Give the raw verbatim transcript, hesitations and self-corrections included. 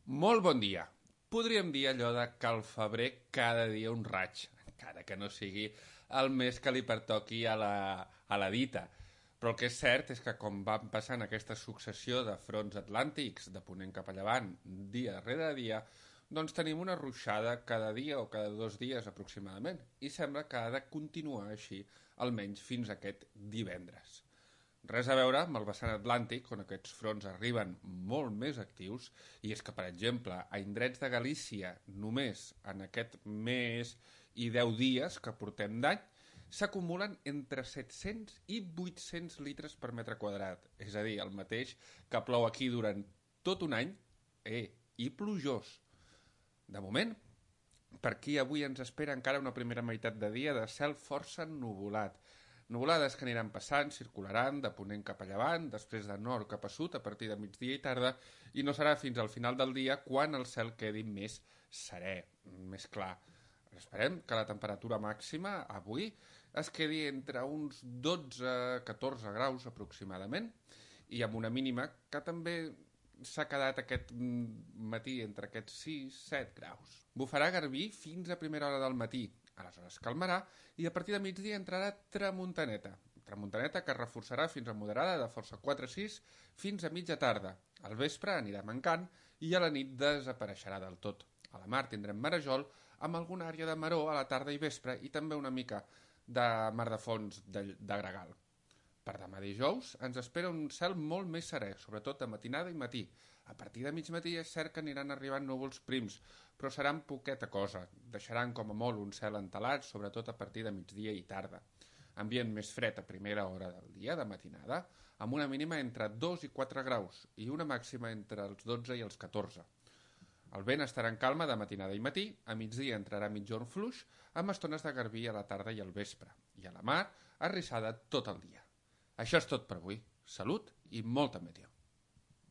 Molt bon dia. Podríem dir allò de que al febrer cada dia un raig, encara que no sigui el mes que li pertoqui a la, a la dita. Però el que és cert és que com van passant aquesta successió de fronts atlàntics de ponent cap a llevant, dia rere dia, doncs tenim una ruixada cada dia o cada dos dies aproximadament i sembla que ha de continuar així almenys fins a aquest divendres. Res a veure amb el vessant atlàntic, on aquests fronts arriben molt més actius, i és que, per exemple, a indrets de Galícia, només en aquest mes i deu dies que portem d'any, s'acumulen entre set-cents i vuit-cents litres per metre quadrat, és a dir, el mateix que plou aquí durant tot un any, eh, i plujós. De moment, per aquí avui ens espera encara una primera meitat de dia de cel força nuvolat, nuvolades que aniran passant, circularan de ponent cap a llevant, després de nord cap a sud a partir de migdia i tarda, i no serà fins al final del dia quan el cel quedi més serè, més clar. Esperem que la temperatura màxima avui es quedi entre uns dotze a catorze graus aproximadament i amb una mínima que també s'ha quedat aquest matí entre aquests sis a set graus. Bufarà garbí fins a primera hora del matí, aleshores calmarà i a partir de migdia entrarà tramuntaneta. Tramuntaneta que es reforçarà fins a moderada de força quatre a sis fins a mitja tarda. Al vespre anirà mancant i a la nit desapareixerà del tot. A la mar tindrem marejol amb alguna àrea de maró a la tarda i vespre i també una mica de mar de fons de, de gregal. Per demà dijous ens espera un cel molt més serè, sobretot de matinada i matí. A partir de mig matí és cert que aniran arribant núvols prims, però seran poqueta cosa. Deixaran com a molt un cel entelat, sobretot a partir de migdia i tarda. Ambient més fred a primera hora del dia, de matinada, amb una mínima entre dos i quatre graus i una màxima entre els dotze i els catorze. El vent estarà en calma de matinada i matí, a migdia entrarà mitjorn fluix, amb estones de garbí a la tarda i al vespre, i a la mar, arrissada tot el dia. Això és tot per avui. Salut i molta meteo.